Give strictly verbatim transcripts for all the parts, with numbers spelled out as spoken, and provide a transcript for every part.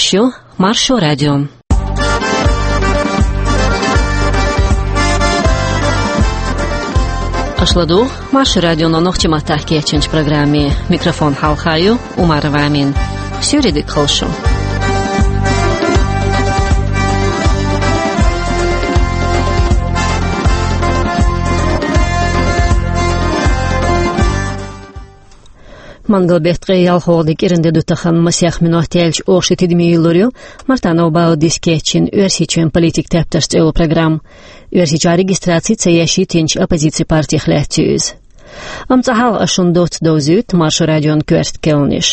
Шу Маршо радио. Аша ладугӀу Маршо радионо нохчийн маттахь кечйинчу программе. Микрофон хьалха ю Умарова Амина. Суьйре дика хуьлда шун. Мангал беттан ткъе ялхалгӀа де кӀиран де ду тахана, масех минот яьлча оха ши тидаме йиллур ю Мартанов Баудис кечйина «Оьрсийчоьнан политикан тептарш» цӀе йолу программа. Оьрсийчохь регистраци ца еш йитинчу оппозицин партех лаьцна ю иза. Амма цкъа хьалха ас шуна доцца довзуьйту Маршо радион коьрта кхаьънаш.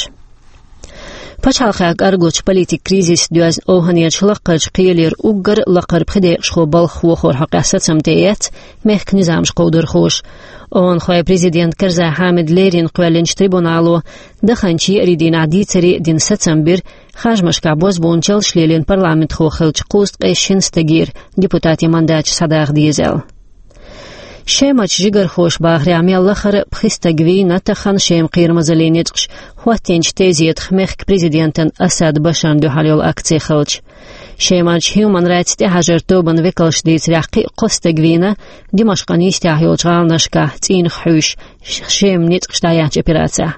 Пачхьалкхехь кӀоргаллачу политикан кризисца доьзна овхӀанерчу лаккхарчу кхелера уггар лакхара пхи декъашхо балхахо хьокъехь сацам тӀеэцна мехкан низамаш кховдархоша. ОвхӀанхойн президент Карзай Хьамида леррина кхоьллинчу трибунало даханчу еарин дийнахь дийцаре а дина сацам бира харжамашкахь бозбуунчаллаш лелийна парламентхо хиллачу кхузткъе шина стагера депутатийн мандаташ схьадаха деза аьлла. Шемарчу жигархоша бахарехь, мел лахара пхи стаг вийна тахана Шеман кхерамазаллин ницкъаша хӀоттийначу тезетах мехкан президентана Асад Башарна дуьхьал йолу акци хилча. Шемарчу Human Rights тӀехьажаран тобанан векалша дийцарехь, кхин а кхо стаг вийна Димашкъан йистехь йолчу гӀаланашкахь цӀийнах хьуьйсуш Шеман ницкъаша дӀаяьхьначу операцехь.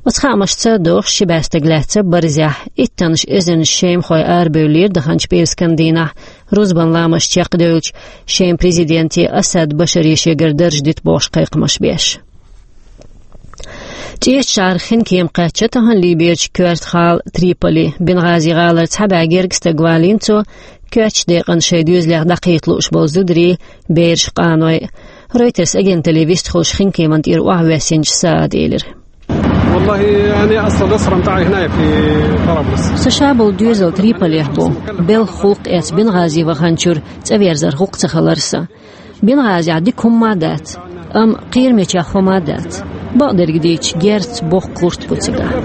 Оцу хаамашца догӀуш ши бӀе стаг лаьцна барзехь, иттаннаш эзарнаш шемахой арабевллера даханчу пӀераскан дийнахь, рузбан ламазаш чекхдевлча, Шеман президенте Асад Башаре шегара дарж дита бохуш кхайкхамаш беш. ЧӀечу шарахь хин кема кхаьчна тахана Либерчу коьртачу гӀала Триполи. Бенгазин гӀалара цхьа бӀе гергга стаг валийна цо, коьртачу декъана шайн доьзалех дӀакхета лууш болу зударий, бераш, къаной. Reuters агенталле вистхуьлуш хин кеман тӀера охьавоьссинчу Саада элира. والله، أنا أصل الأسرة متاعي هنا في طرابلس. Сан ша болу доьзал Триполехь бу. Белхан гӀуллакх эцна Бенгази ваханчуьра цӀа верзар гӀуллакх ца хилира сан. Бенгазехь дика хӀумма а дац, амма кхерамечех хӀума а дац. Бакъдерг дийцича, герз, боккха гӀурт бу цигахь.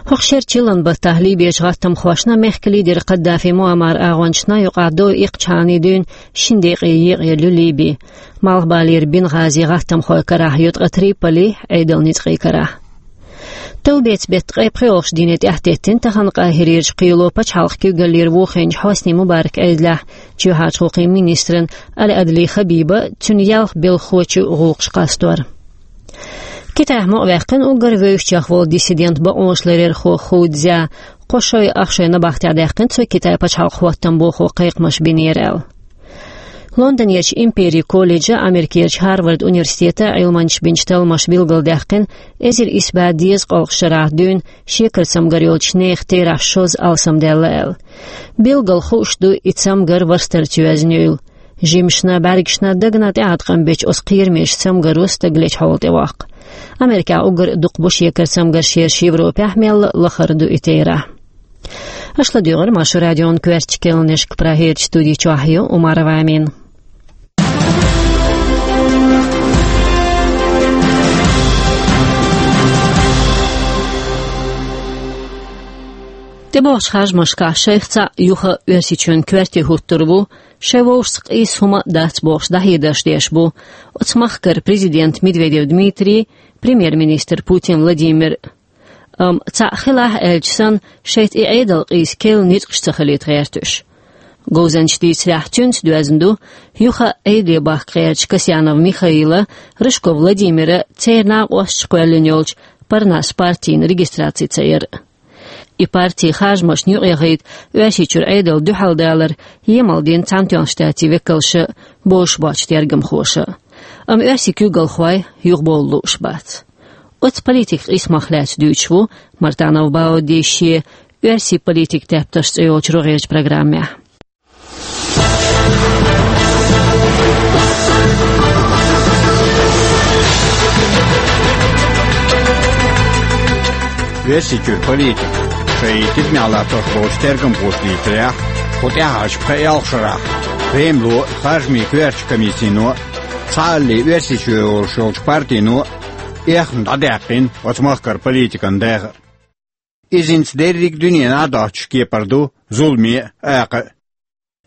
ХӀокху шеран чиллан баттахь Либерчу гӀаттамхошна, мехкан лидера Каддафи Муаммаран агӀончашна юкъахь дов иккхачхьана дуьйна шина декъе екъаелла ю Либи. Малхбалера Бенгазин гӀаттамхойн карахь ю ткъа Триполин Ӏедалан ницкъийн карахь. Товбецан беттан ткъе пхоьалгӀачу дийне тӀаьхьатеттина тахана Къахирерчу кхело пачхьалкхан куьйгаллера вохийначу Хьосни Мубаракан Ӏедалехь чоьхьарчу гӀуллакхийн министран Али-Адли Хабибан, цуьнан ялх белхахочун гӀуллакхаш къастор. Китайхь мукъаваьккхина уггар вевзачех волу диссидент, бакъонашларъярхо Ху Цзя. Кхо шой ах шой набахтехь даьккхина цо Китайн пачхьалкхан хӀоттам бохо кхайкхамаш бинера аьлла. Лондонерчу Империн колледжан, Америкерчу Харвард университетан Ӏилманчаша бинчу талламаша билгалдаьккхина, эзар исс бӀе дезткъалгӀачу шарахь дуьйна шекара цамгар йолчу нехан терахь шозза алсамдаьлла аьлла. Билггал хууш ду и цамгар варстарца йоьзна юйла. Жимашна, бӀаьргашна, дагна тӀеӀаткъам бечу оцу кхерамечу цамгаро стаг лечу хьоле тӀевоккху. Америкехь уггар а дукха бу шекара цамгарш ерш, Европехь мелла а лахара ду и терахь. Аша ладуьйгӀира Маршо радион коьртачу кхаьънашка. Прагерчу студи чохь ю Умарова Амина. ТӀебогӀучу харжамашкахь шайх цхьаъ юха Оьрсийчоьнан коьрте хӀуттур ву, шайн вовшашца къийса хӀума а дац бохуш, дӀахьедарш деш бу оцу махкара президент Медведев Дмитрий, премьер-министр Путин Владимир. Амма цхьаъ хилахь аьлча санна, шайца и Ӏедал къийса керла ницкъаш ца хилийта гӀерта уьш. Говзанчаша дийцарехь, цуьнца доьзна ду юха Ӏедале бахка гӀертачу Касьянов Михаила, Рыжков Владимира, церан накъосташа кхоьллина йолчу Парнас партина регистраци ца яр а. И парти харжамашна юкъаяхийта Оьрсийчуьра Ӏедална дуьхьал далар емал дина Цхьаьнатоьхначу Штатийн векалша а, бозуш боцчу тергамхоша а. Амма оьрсийн куьйгалхой юхабовла лууш бац. Оцу политикан къийсамах лаьцна дуьйцуш ву Мартанов Баудис шен «Оьрсийн политикан тептарш» цӀе йолчу рогӀерчу программехь. Оьрсийчуьра политика шайн тидамехь латтош болчу тергамхоша дийцарехь, кху тӀаьхьарчу пхи-ялх шарахь Кремло, харжамийн коьртачу комиссино, цхьаалле Оьрсийчоь йолуш йолчу партино эхна дӀадаьккхина оцу махкара политикан дегӀ. Иза хӀинца дерриг дуьненахь доцчу кепара ду зуламе а, акха а.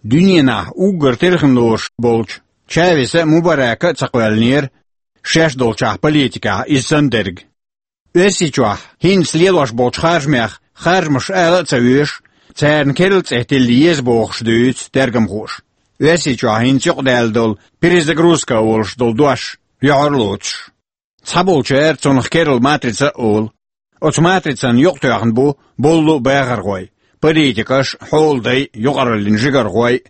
Дуьненахь уггар тилхина лоруш болчу Чавеса а, Мубарака а ца кхоьллинера шаьш долчохь политикехь иза санна дерг. Оьрсийчохь хӀинца лелош болчу харжамех харжамаш ала а ца везаш, царна керла цӀе тилла еза бохуш дуьйцу тергамхоша. Оьрсийчохь хӀинца юкъадаьлла долу перезагрузка олуш долу дош юьхьар лоцуш. Цхьаболчара цунах керла матрица а олу. Оцу матрицан юкъатоьхна бу боллу а бахархой, политикаш а, хьолдай а, юкъараллин жигархой а.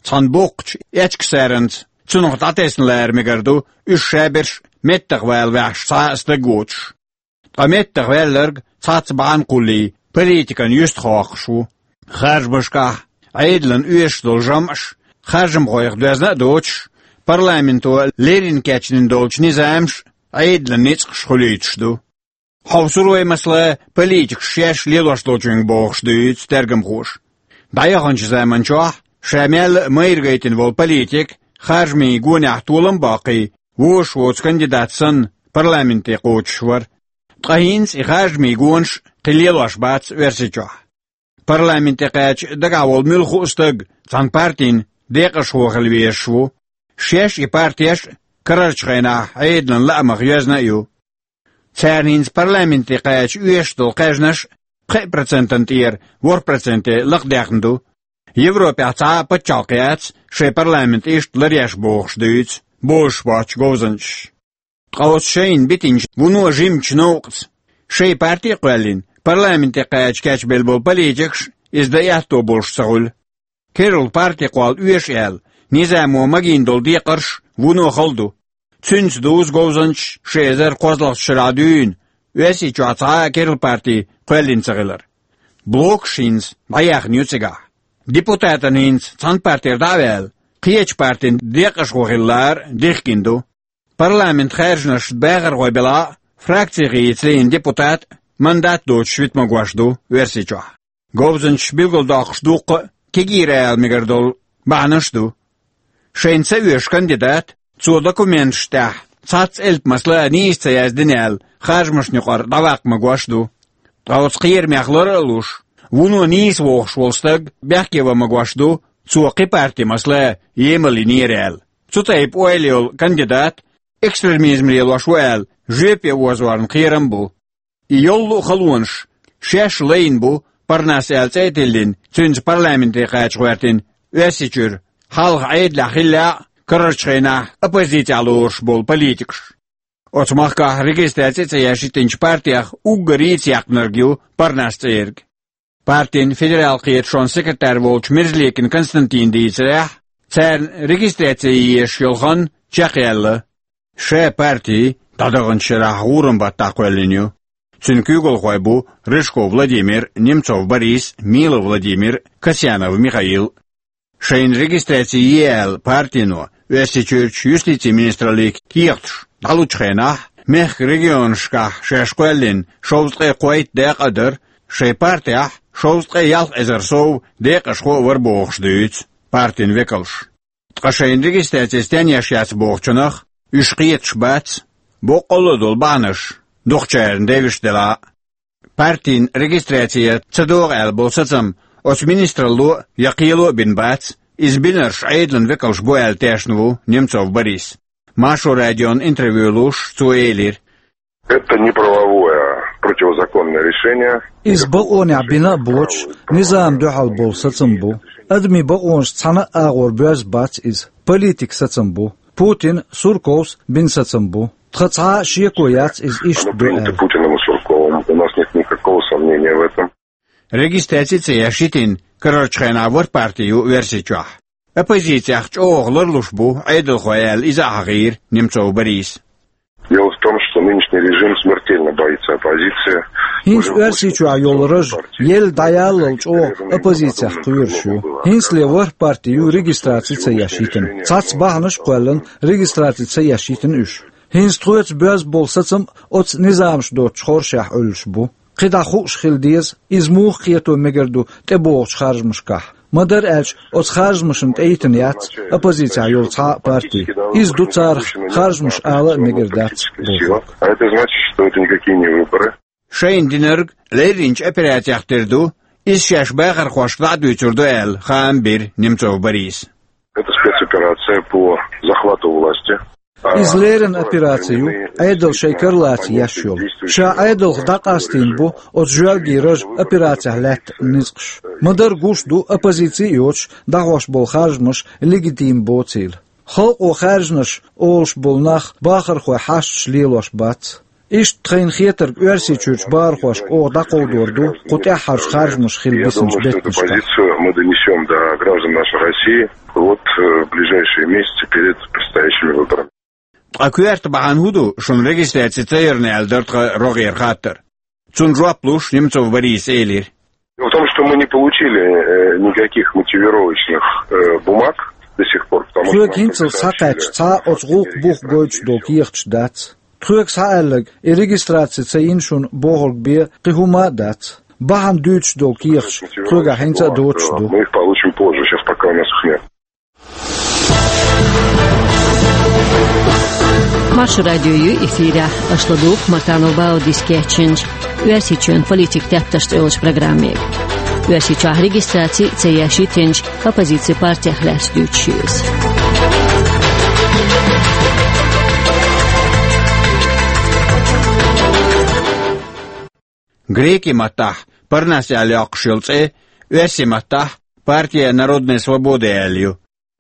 Цхьана боккхачу эчкасаранца цунах дӀатесна лара мегар ду, уьш шаберш а меттах вала ваьхьаш цхьа а стаг воцуш. Ткъа меттах ваьлларг цхьацца бахьана кхуллий политикан юьстахоккхуш ву. Харжамашкахь Ӏедалан оьшуш долу жамӀаш харжамхойх доьзна а доцуш, парламенто леррина кечдина долчу низамаш а Ӏедалан ницкъаш хуьлуьйтуш ду. Хьовсур вай, масала, политикаш шаьш лелош долчуьнга бохуш дуьйцу тергамхоша. ДӀаяханчу заманчохь ша мел а майра гайтина волу политик, харжамийн гонехь толам а боккхий, вожаш воцу кандидат санна, парламенте кхочуш вара. Ткъа хӀинца и харжамийн гонаш кхин лелош бац Оьрсийчохь. Парламенте кхаьча дагахь волу муьлхха а стаг цхьана партин декъашхо хила везаш ву. Шаьш а, и партеш а карарчу хенахь Ӏедалан лаамах йоьзна а ю. Царна хӀинца парламенте кхаьча оьшуш долу кхаьжнаш пхеа процентан тӀера ворхӀ проценте лакхадаьхна ду. Европехь цхьа а пачхьалкх яц шайн парламент иштта ларъеш бохуш дуьйцу бозуш боцчу говзанчаша. Ткъа оцу шайна битинчу вуно жимачу новкъаца шайн парти а кхоьллина, парламенте кхаьча кечбелла болу политикаш иза дан аьтто болуш ца хуьлу. Керла парти кхолла оьшу аьлла, низамо магийна долу декхарш вуно хала ду. Цуьнца дузу говзанчаш ши эзар кхозлагӀчу шарахь дуьйна Оьрсийчохь цхьа а керла парти кхоьллина ца хилар. Блокаш хӀинца дӀаяьхна ю цигахь. Депутатан хӀинца цхьана партера дӀа а ваьлла, кхечу партин декъашхо хила лара дихкина ду. Парламент хаьржинарш бахархой белахь а, фракцехь йийца лиъна депутат мандат доцуш вита магош ду Оьрсийчохь. Говзанчаш билгалдоккхуш дуккха а кегийра ала мегар долу бахьанаш а ду. Шайна ца оьшу кандидат, цо документаш тӀехь цхьацца элп, масала, нийса ца яздина аьлла, харжамашна юкъара дӀаваккха магош а ду. Ткъа оцу кхерамех лара а луш, вуно нийса вохуш волу стаг бехке ван магош ду, цо кхин парти, масала, емал йинера аьлла. Цу тайпа ойла йолу кандидат экстремизм лелош ву аьлла, жоьпе озорна кхерам а бу. И йолу а халонаш шаьш лайна бу, Парнас аьлла цӀе а тиллина, цуьнца парламенте кхача гӀоьртина Оьрсийчуьра, хьалха Ӏедалехь хиллехь а, карарчу хенахь оппозицехь лоруш болу политикаш. Оцу махкахь регистраци ца еш йитинчу партех уггаре а цӀе яьккхинарг ю Парнас цӀерг. Партин федерал кхеташонан секретарь волчу Мерзликин Константина дийцарехь, царна регистраци езаш йолу хан чекхъяьлла. Ша парти дӀадаханчу шарахь гӀуран баттахь кхоьллина ю. Цуьнан куьйгалхой бу Рыжков Владимир, Немцов Борис, Милов Владимир, Касьянов Михаил. Шайна регистраци е аьлла партино Оьрсийчуьрчу юстицин министралле кехаташ дӀалучу хенахь, мехкан регионашкахь шаьш кхоьллина шовзткъе кхойтта декъа а дара, шайн партехь шовзткъе ялх эзар сов декъашхо а вара бохуш дуьйцу партин векалша. Ткъа шайна регистраци стенна еш яц бохучунах, уьш кхеташ бац, боккъалла а долу бахьанаш дукхачарна девзаш делахь а. Партин регистраци ца догӀу аьлла болу сацам оцу министралло а, я кхело а бина бац, иза бинарш Ӏедалан векалш бу аьлла тешна ву Немцов Борис. Маршо радион интервью луш, цо элира: «Это неправовое, противозаконное решение. Иза бакъонехь бина а боцуш, низам дуьхьал болу сацам бу. Адамийн бакъонаш цхьана а агӀор боьзна бац иза. Политик сацам бу. Путин, Сурковс бина сацам бу. Тхан цхьа а шеко яц иза иштта ду аьлла». Путиным и Сурковым. У нас нет никакого сомнения в этом. Регистраци ца еш йитина карарчу хенахь ворхӀ парти ю Оьрсийчохь. Оппозицех чӀогӀа ларлуш бу Ӏедалхой аьлла, иза а хьахийра Немцов Борис. Дело в том, что нынешний режим смертельно боится оппозиции. ХӀинца Оьрсийчохь йолу раж елла дӀаяллал чӀогӀа оппозицех кхоьруш ю. ХӀинцале ворхӀ парти ю регистраци ца еш йитина. Цхьацца бахьанаш а кхоьллина, регистраци ца еш йитина уьш. ХӀинца тхоьца боьзна болу сацам оцу низамаш доцучу хоршехь Ӏуьллуш бу. КхидӀа хууш хила деза, иза муха кхето мегар ду тӀебогӀучу харжамашкахь. Ма-дарра аьлча, оцу харжамашна тӀейтина яц оппозицехь йолу цхьа а парти. Иза ду царах харжамаш ала а мегар дац бохург. А это значит, что это никакие не выборы. Шайна динарг лерринчу операцех тера ду, иза шаьш бахархошка дӀа а дуьйцур ду аьлла, хаам бира Немцов Бориса. Это спецоперация по захвату власти. Иза леррина операци ю, Ӏедал шайн кара лаца еш йолу. Ша Ӏедалх дӀакъастийна бу оцу жоьлгийн ража операцехь лаьтта ницкъаш. Ма-дарра гуш ду, оппозици а йоцуш, дӀахьош болу харжамаш легитим боцийла. Халкъо хаьржинарш олуш болу нах бахархойн хьашташ лелош бац. Иштта тхайна хетарг, Оьрсийчуьрчу бахархошка оха дӀакховдор ду кху тӀаьххьарчу харжамаша хила бисинчу беттанашкахь. Позицию мы донесём до граждан нашей России вот, э, в ближайшие месяцы перед предстоящими выборами. Ткъа коьрта бахьана хӀун ду шуна регистраци ца ярна аьлла дара тхан рогӀера хаттар? Цунна жоп луш, Немцов Бориса элира: Дело в том, что мы не получили, э, никаких мотивировочных, э, бумаг до сих пор, потому что... Тхоьга хӀинццалц схьакхаьчча цхьа а оцу гӀуллакхан бух гойтуш долу кехаташ дац. Тхоьга схьааьлларг, и регистраци ца йина шуна бохург бен кхин хӀума а дац. Бахьана дуьйцуш долу кехаташ тхоьгахь хӀинца а доцуш ду. Мы их получим позже, сейчас пока у нас их нет. Маршо радио ю эфирехь, аша ладугӀу Мартанов Баудис кечйинчу «Оьрсийчоьнан политикан тептарш» цӀе йолчу программе. Оьрсийчохь регистраци ца еш йитинчу оппозицин партех лаьцна дуьйцуш ю иза. Греки маттахь «Парнас» аьлла йоккхуш йолу цӀе, оьрси маттахь «Партия народной свободы» аьлла ю.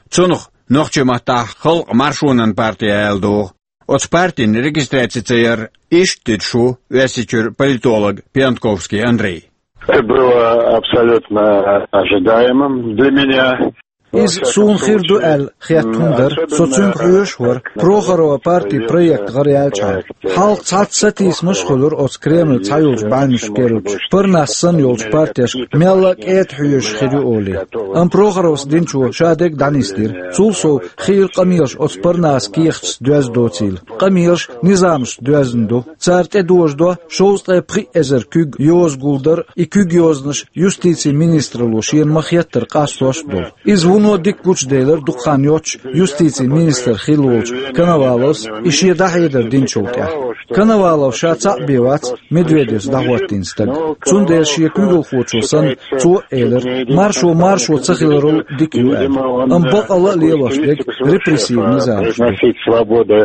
Цунах нохчи маттахь «Халкъан маршонан партия» аьлла догӀу. Оцу партин регистраци ца яр иштта дуьтуш ву Оьрсийчуьра политолог Пиантковский Андрей. Это было абсолютно ожидаемым для меня. Иза суна хир ду аьлла хетта хӀума дара, со цуьнга хьоьжуш а вара, Прохорова партин проект гӀараяьллачхьана. Хьалха цхьацца сатийсамаш а хуьлура оцу Кремлан цхьайолчу бӀаьвнашка керлачу, «Парнас» санна йолчу партешка мелла а кӀеда хьоьжуш хир ю олий. Амма Прохоровс динчо ша дерг дӀанисдира. Цул сов, хийра къамелаш оцу «Парнасан» кехаташца доьзна доцийла. Къамелаш низамашца доьзна ду. Цара тӀедожадо шовзткъе пхиъ эзар куьг йоза гулдар, и куьг йозанаш юстицин министралло шена ма-хеттара къастош а долу. Иза вуно дика гучуделира дукха хан йоццуш юстицин министр хилла волчу Коноваловс и шен дӀахьедар динчул тӀаьхьа. Коновалов ша цхьаъ бен вац Медведевс дӀахӀоттийна стаг. Цундела шен куьйгалхочо санна, цо а элира, маршо маршо ца хиларал дика ю аьлла. Амма бакъалла а лелош дерг репрессивни низамаш ду. Приносить свобода,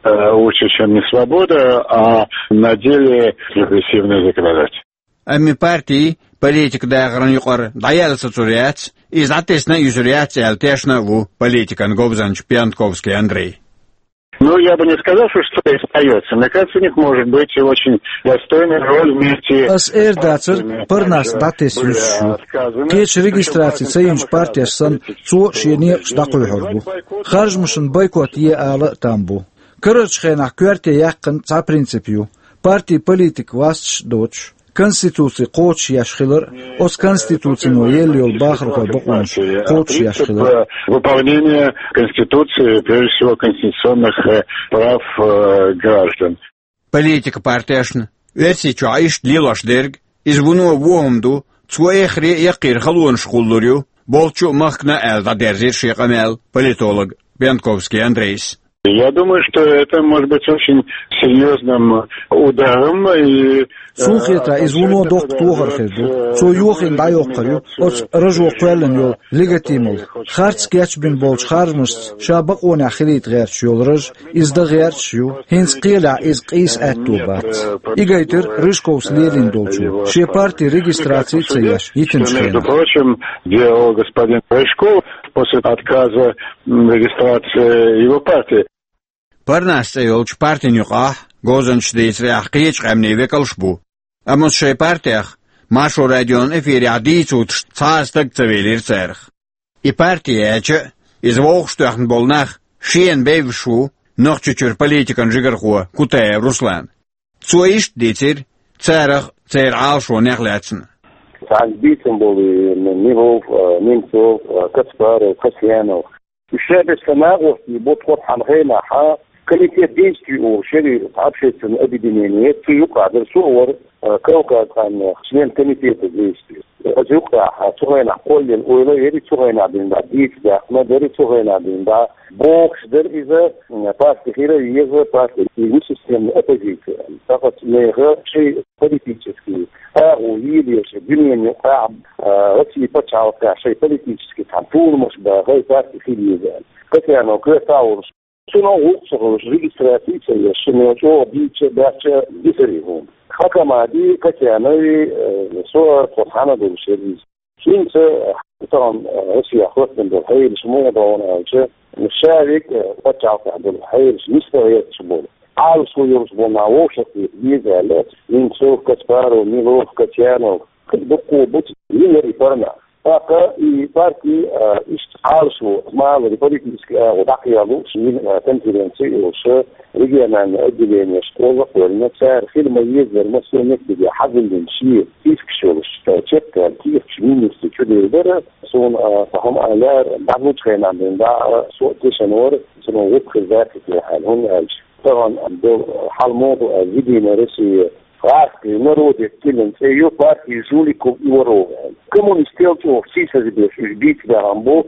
э, лучше, чем не свобода, а на деле репрессивный законодатель. Амма и парти политикан дахаран юкъара дӀаяьлла сацур яц, иза дӀатесна а юьсур яц аьлла тешна а ву политикан говзанча Пиантковский Андрей. Ну, я бы не сказал, что что-то остаётся. Мне кажется, у них может быть и очень достойная роль вместе с... Ас эр дацар, «Парнас» дӀатесна юьсуш ю. Кхечу регистраци ца йинчу партеш санна, цо а шен некъаш дӀакхуьйхьур бу. Харжамашна бойкот е ала а там бу. Карарчу хенахь коьрте яьккхина цхьа принцип ю: партин политика васташ а доцуш, Конституци кхочушъеш хилар а, оцу Конституцино елла йолу бахархойн бакъонаш кхочушъеш хилар а. Выполнение Конституции, прежде всего, конституционных, э, прав, э, граждан. Политикан партешна Оьрсийчохь иштта лелош дерг, иза вуно вон хӀума ду, цо эххар а, яккхийра халонаш а кхуллур ю, болчу а, махкана а, аьлла дӀадерзийра шен къамел политолог Пиантковский Андрейс. Я думаю, что это может быть очень серьёзным ударом, и, э... Суна хетарехь, иза вуно доккха тохар хир ду. Цо йохийна дӀайоккхур ю оцу ражо кхоьллина йолу легитималла. Харц кечбина болчу харжамашца ша бакъонехь хилийта гӀерташ йолу раж, иза дан гӀерташ а ю. ХӀинца кхелехь иза къийса аьтто бац. И гайтира Рыжковс лелийна долчо, шен партин регистраци а ца еш, йитинчу хенахь. Между прочим, делал господин Рыжков после отказа, м, регистрации его партии. «Парнас» цӀе йолчу партин юкъахь, говзанчаша дийцарехь, кхечу къаьмнийн векалш а бу. Амма оцу шайн партех Маршо радион эфирехь дийца вутуш цхьа а стаг ца велира царах. И парти яьлча а, иза вовшахтоьхна болу нах шена бевзаш ву Нохчийчуьра политикан жигархо Кутаев Руслан. Цо иштта дийцира царах, церан Ӏалашонех лаьцна. Цхьаьна бийцам болу Милов, Немцов, Каспаров, Касьянов. Уьш шайберш сан нагӀош бу тхо цхьана хенахь, комитет действий олуш яра, общественное объединение, цу юкъахь дара, со а вара, Кавказ къаьмнех член комитета действий. Аса юкъахь цу хенахь кхоллина ойла а яра, цу хенахь дина дӀа дийца даьккхина дара, цу хенахь дина дӀа бохуш дара иза, парти хила а еза, парти, и системная оппозиция. ТӀаккха нехан шайн политический агӀо йийлаеш, дуьненан юкъахь, а, Россия пачхьалкхехь шайн политический цхьана толамаш бан хӀай парти хила еза аьлла. Касьянов коьртехь а волуш, Цунах гӀуллакх ца хилча, регистраци ца еш, шуна чӀогӀа дийца, баьчча дисари хӀума. Хакамади, Катянови, э, со а, тхо цхьана долуш яр иза. ХӀинца, э, тахана, э, Россия хӀоттам болу хьелаш муха ду аьлча, ша век, э, пачхьалкхехь болу хьелаш нисдала гӀерташ болу. Ӏалашо йолуш болу нах вовшах хета беза аьлла, Немцов, Каспаров, Милов, Катянов, дуккха бу цу йинарий парнах. ТӀаккха и парти, а, иштта Ӏалашо, малари политически агӀо дӀакхелла шина, а, конференци йолуш, региональное отделение школа кхоьллина, цара хила ма-еззара массо а меттиге хьазиллина шен спискаш йолуш, а, чекхъяьлла кехаташ министрна чу дийр дара, суна, а, цхьа хӀума а лаьара, дӀалучу хенахь бен дӀа, а, со а тешна вара, цунах гӀуллакх хир дац те аьлла, хӀунда аьлча тахана долу хьал муха ду аьлла, Единая Россия гӀазкхи народе тиллина цӀе ю, партия жуликов и воров аьлла. Коммунистел чӀогӀа сийсазе беш уьш бийца баьхна бу,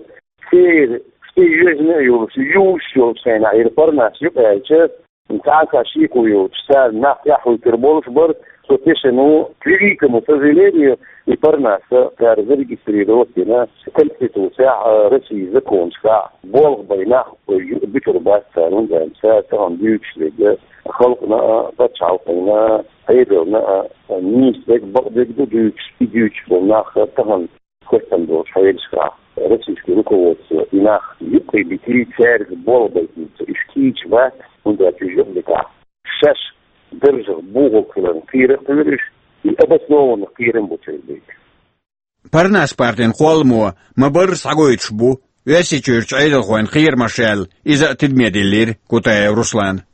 церан цӀе йоьжна а йолуш, юьйлуш йолчу хенахь, хӀара парнас юкъа аьлча, цхьа а шеко йоцуш, цара нах тӀаьхьахӀуьттур болуш бара, со тешна ву, к великому сожалению, и парнас цара зарегистрировать дина Конституцехь а, Россин законашкахь а, болх бай нах буьтур бац цара, хӀунда аьлча цара тахана дуьйцуш дерг халкъана а, пачхьалкхана а, Ӏедална а нийса дерг, бакъдерг ду дуьйцуш, и дуьйцуш болу нах тахана хӀоттам долчу хьелашкахь, российский руководство и нах юккъе битий, цаьрга болх байтинца уьш кийча бац, хӀунда аьлча уьш юкъа дитахь, шаьш даржах бухалг хиларна кхерар а кхоьру уьш, и обоснованно кхерам бу церан дерг. Парнас партин кхолламо ма-барра схьагойтуш бу Оьрсийчуьрчу Ӏедалхойн кхерамаш аьлла, иза а тидаме диллира Кутаев Руслана.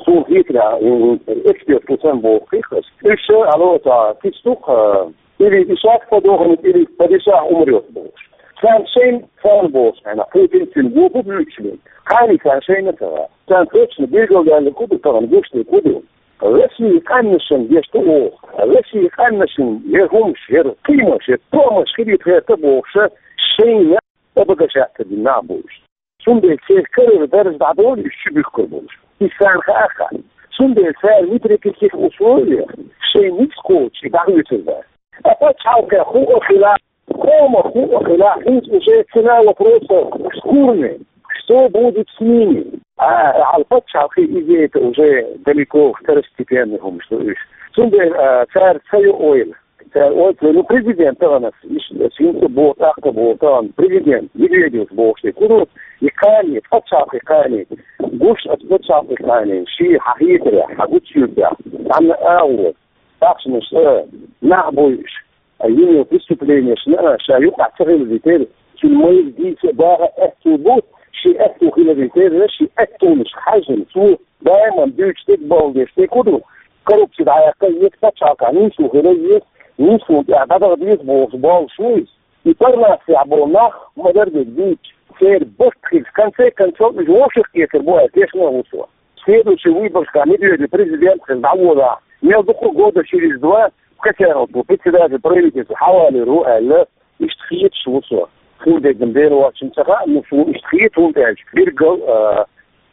Суна хетарехь, м, эксперт ву сан боху хих ас. Уьш, алло, цхьа кистух, а, или ишак подохнет, или падишах умрёт бохуш. Царна шайна, царна бохуш, хьайна, Путин цуьнан го бу буьйцуш бен. Кхане царна шайна ца ваьа. Царна точно билгалдаьлла ку ду тахана, гуш де ку ду. Россия къаьмнашна деш ду оха. Россия къаьмнашна яр хӀумаш, яр кхиамаш, яр тоамаш хилийта гӀерта бохуша, шайна обогащаться дина нах бу уьш. Цундела церан карара дарж дӀадолу уьш чу буьхкур болуш. Иза царна хаа хаьа. Цундела цара ни при каких условиях шайн ницкъ кхочуш и дӀахоьцур дац. Ткъа пачхьалкхехь хӀуъа хила, къомах хӀуъа хила, хӀинца уже цена вопроса в корне. Что будет с ними? А, хьал пачхьалкхе иза это уже далеко второстепенный хӀумаш ду уьш. Цундела, а, цара ца йо ойла. Ца-, ой, ца-, ну, президент тахана, иш-, синца боху, тӀаккха боху тахана, президент Медведевс бохуш дерг ку ду, и кхане, пачхьалкхе кхане, гуш аса пачхьалкхе кхане, шен хьан хетарехь, хьан гучуьйтехь, цхьанна агӀор, ахчанаш, а, нах буьйш, а, йина йолу преступленешна, а, ша юкъахь ца хилла дитира, цуьнан майра дийца а, баха а аьтту бу, шен аьтту хилла дитира, шен аьттонаш хьаьжжина, цо даиман дуьйцуш дерг, бовла деш дерг ку ду, коррупци дӀаяккха еза, пачхьалкхехь нисо хила еза, нислун тӀехь дӀадаха деза бохуш боллуш ву иза. И парнасехь болу нах ма-дарра дерг дуьйцуш, церан барт хилча, конце концов, уьш вовшах кхетар бу аьлла тешна а ву со. Следующий выборашкахь Медведев президент хилла дӀаволахь, мел дукха года через два Катяновс ву председатель правительства, хьавалийр ву аьлла, иштта хеташ ву со. Хин дерг-м Дела воцчунна ца хаьа, ну, суна иштта хета, хӀунда аьлча биргал, а,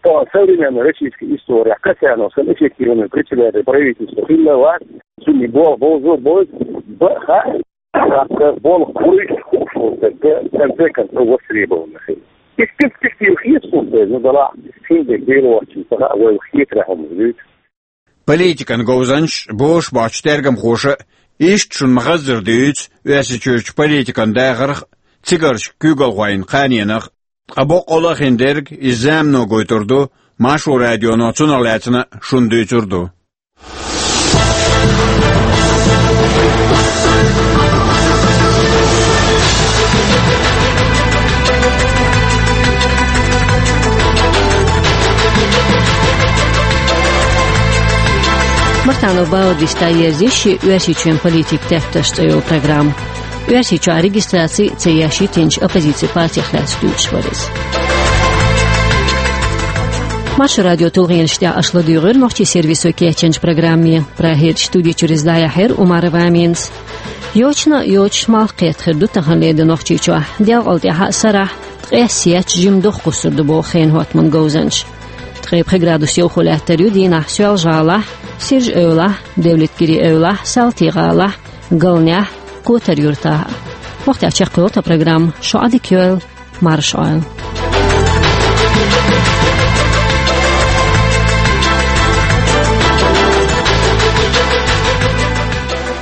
тахана современный российский история Катяновс санна эффективный председатель правительства хилла вац, цуьнан болх бовзо а бовзу, бакъ хаьа, тӀаккха болх буьйцуш хууш волу стаг в конце концов востребованный хила. Иза перспектива хета суна, ну, делахь, хин дерг Дела воцчунна ца хаьа, вай хетарехь хӀуманаш дуьйцу. Политикан говзанчаш бохуш боцчу тергамхоша иштта шуна ма-хаззара дуьйцу Оьрсийчуьрчу политикан дахарх а, цигарчу куьйгалхойн кханенах а. Ткъа боккъалла а хин дерг иза замано гойтур ду, Маршо радионо цунах лаьцна шуна дуьйцур ду. Мартанов Баур вистаерзийши «Оьрсийчоьнан политикан тептарш» цӀе йолу программа. Оьрсийчохь регистраци ца еш йитинчу оппозицин партех лаьцна дуьйцуш вара иза. Маршо радион тулгӀенаш тӀехь аша ладуьйгӀира нохчийн сервисо кечйинчу программе. Прагерчу студи чуьра иза дӀаяьхьира Умарова Аминас. Йочана а йоцуш, малх кхетта хир ду таханлера де Нохчийчохь. Делкъал тӀаьхьа а, сарахь а ткъес етташ жима дохкуссур ду боху хенан хӀоттаман говзанчаша. Ткъе пхи градус йовхо лаьттар ю дийнахь Соьлжа-ГӀалахь, Сиржа-Эвлахь, Девлеткири-Эвлахь, Салти-ГӀалахь, Галнехь, Котар-Юьртахь а. Вахтехь чекхйолу тхан программа. Шун Ӏадика йойла, марша Ӏойла.